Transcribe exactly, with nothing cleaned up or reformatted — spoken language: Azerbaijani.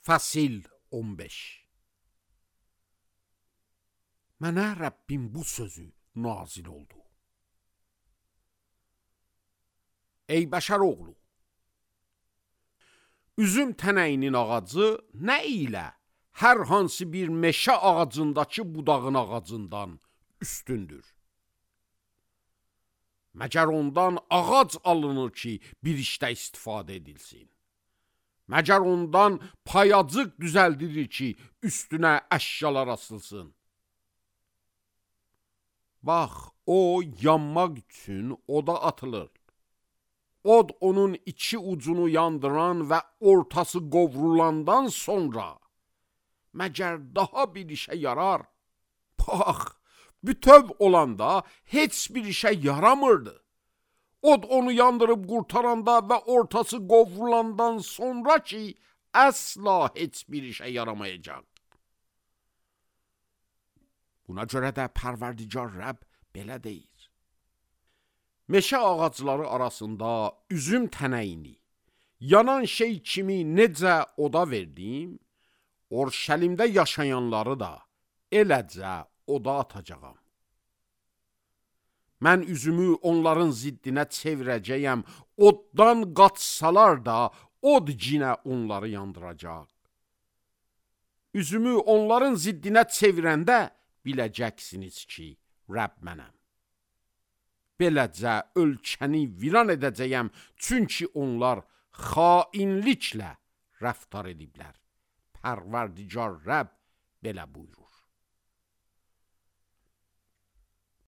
Fəsil on beş. Mənə Rəbbim bu sözü nazil oldu. Ey bəşər oğlu, üzüm tənəyinin ağacı nə ilə hər hansı bir meşə ağacındakı budağın ağacından üstündür? Məgər ondan ağac alınır ki, bir işdə istifadə edilsin. Məgər ondan payacıq düzəldilir ki, üstünə əşyalar asılsın. Bax, o yanmaq üçün oda atılır. Od onun iki ucunu yandıran və ortası qovrulandan sonra məgər daha bir işə yarar? Bax, bütöv olanda heç bir işə yaramırdı. Od onu yandırıb qurtaranda və ortası qovrulandan sonra ki, əsla heç bir işə yaramayacaq. Buna görə də Pərverdigar Rəbb belə deyir. Meşə ağacları arasında üzüm tənəyini, yanan şey kimi necə oda verdim, Orşəlimdə yaşayanları da eləcə oda atacağam. Mən üzümü onların ziddinə çevirəcəyəm, oddan qaçsalar da od cinə onları yandıracaq. Üzümü onların ziddinə çevirəndə biləcəksiniz ki, Rəbb mənəm. Beləcə ölkəni viran edəcəyəm, çünki onlar xainliklə rəftar ediblər. Pərverdigar Rəbb belə buyurur.